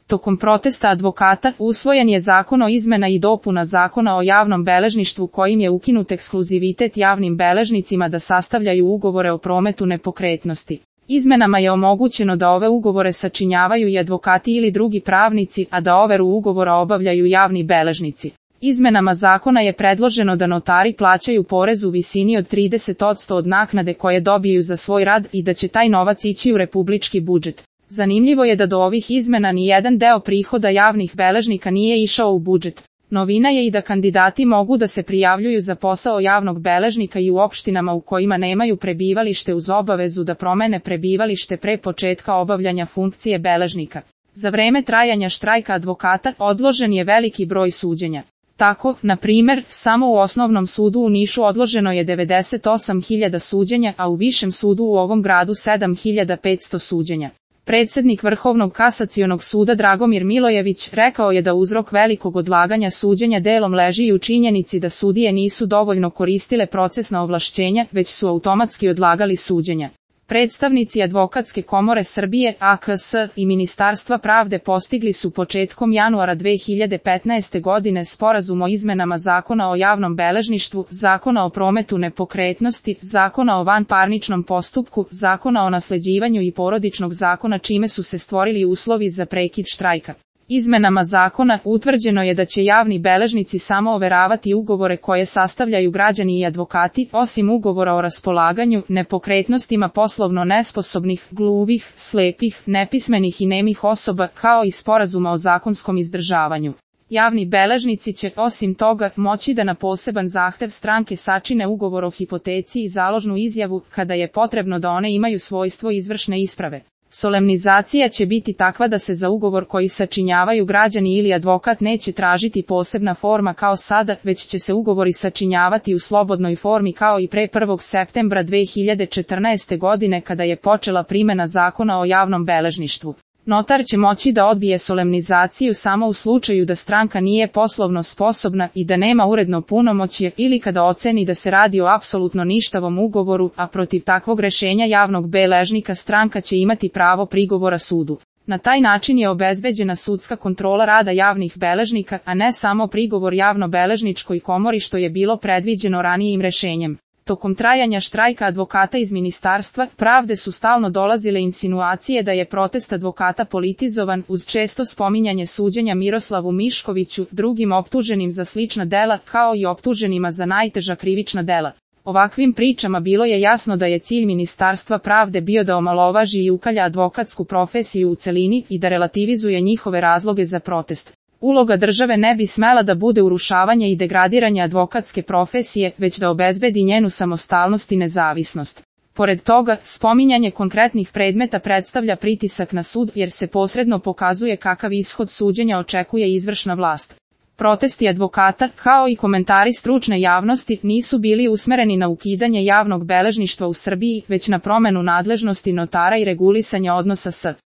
Tokom protesta advokata, usvojen je zakon o izmena i dopuna zakona o javnom beležništvu kojim je ukinut ekskluzivitet javnim beležnicima da sastavljaju ugovore o prometu nepokretnosti. Izmenama je omogućeno da ove ugovore sačinjavaju i advokati ili drugi pravnici, a da overu ugovora obavljaju javni beležnici. Izmenama zakona je predloženo da notari plaćaju porez u visini od 30% od naknade koje dobiju za svoj rad i da će taj novac ići u republički budžet. Zanimljivo je da do ovih izmena ni jedan deo prihoda javnih beležnika nije išao u budžet. Novina je i da kandidati mogu da se prijavljuju za posao javnog beležnika i u opštinama u kojima nemaju prebivalište uz obavezu da promene prebivalište pre početka obavljanja funkcije beležnika. Za vreme trajanja štrajka advokata odložen je veliki broj suđenja. Tako, na primer, samo u Osnovnom sudu u Nišu odloženo je 98.000 suđenja, a u Višem sudu u ovom gradu 7.500 suđenja. Predsednik Vrhovnog kasacionog suda Dragomir Milojević rekao je da uzrok velikog odlaganja suđenja delom leži i u činjenici da sudije nisu dovoljno koristile procesna ovlašćenja, već su automatski odlagali suđenja. Predstavnici Advokatske komore Srbije, AKS, i Ministarstva pravde postigli su početkom januara 2015. godine sporazum o izmenama Zakona o javnom beležništvu, Zakona o prometu nepokretnosti, Zakona o vanparničnom postupku, Zakona o nasleđivanju i porodičnog zakona čime su se stvorili uslovi za prekid štrajka. Izmenama zakona utvrđeno je da će javni beležnici samo overavati ugovore koje sastavljaju građani i advokati, osim ugovora o raspolaganju nepokretnostima poslovno nesposobnih, gluvih, slepih, nepismenih i nemih osoba, kao i sporazuma o zakonskom izdržavanju. Javni beležnici će, osim toga, moći da na poseban zahtev stranke sačine ugovor o hipoteci i založnu izjavu, kada je potrebno da one imaju svojstvo izvršne isprave. Solemnizacija će biti takva da se za ugovor koji sačinjavaju građani ili advokat neće tražiti posebna forma kao sada, već će se ugovori sačinjavati u slobodnoj formi kao i pre 1. septembra 2014. godine kada je počela primena Zakona o javnom beležništvu. Notar će moći da odbije solemnizaciju samo u slučaju da stranka nije poslovno sposobna i da nema uredno punomoćje ili kada oceni da se radi o apsolutno ništavom ugovoru, a protiv takvog rešenja javnog beležnika stranka će imati pravo prigovora sudu. Na taj način je obezbeđena sudska kontrola rada javnih beležnika, a ne samo prigovor javno-beležničkoj komori što je bilo predviđeno ranijim rešenjem. Tokom trajanja štrajka advokata iz Ministarstva pravde su stalno dolazile insinuacije da je protest advokata politizovan uz često spominjanje suđenja Miroslavu Miškoviću, drugim optuženim za slična dela, kao i optuženima za najteža krivična dela. Ovakvim pričama bilo je jasno da je cilj Ministarstva pravde bio da omalovaži i ukalja advokatsku profesiju u celini i da relativizuje njihove razloge za protest. Uloga države ne bi smela da bude urušavanje i degradiranje advokatske profesije, već da obezbedi njenu samostalnost i nezavisnost. Pored toga, spominjanje konkretnih predmeta predstavlja pritisak na sud jer se posredno pokazuje kakav ishod suđenja očekuje izvršna vlast. Protesti advokata, kao i komentari stručne javnosti, nisu bili usmereni na ukidanje javnog beležništva u Srbiji, već na promenu nadležnosti notara i regulisanja odnosa s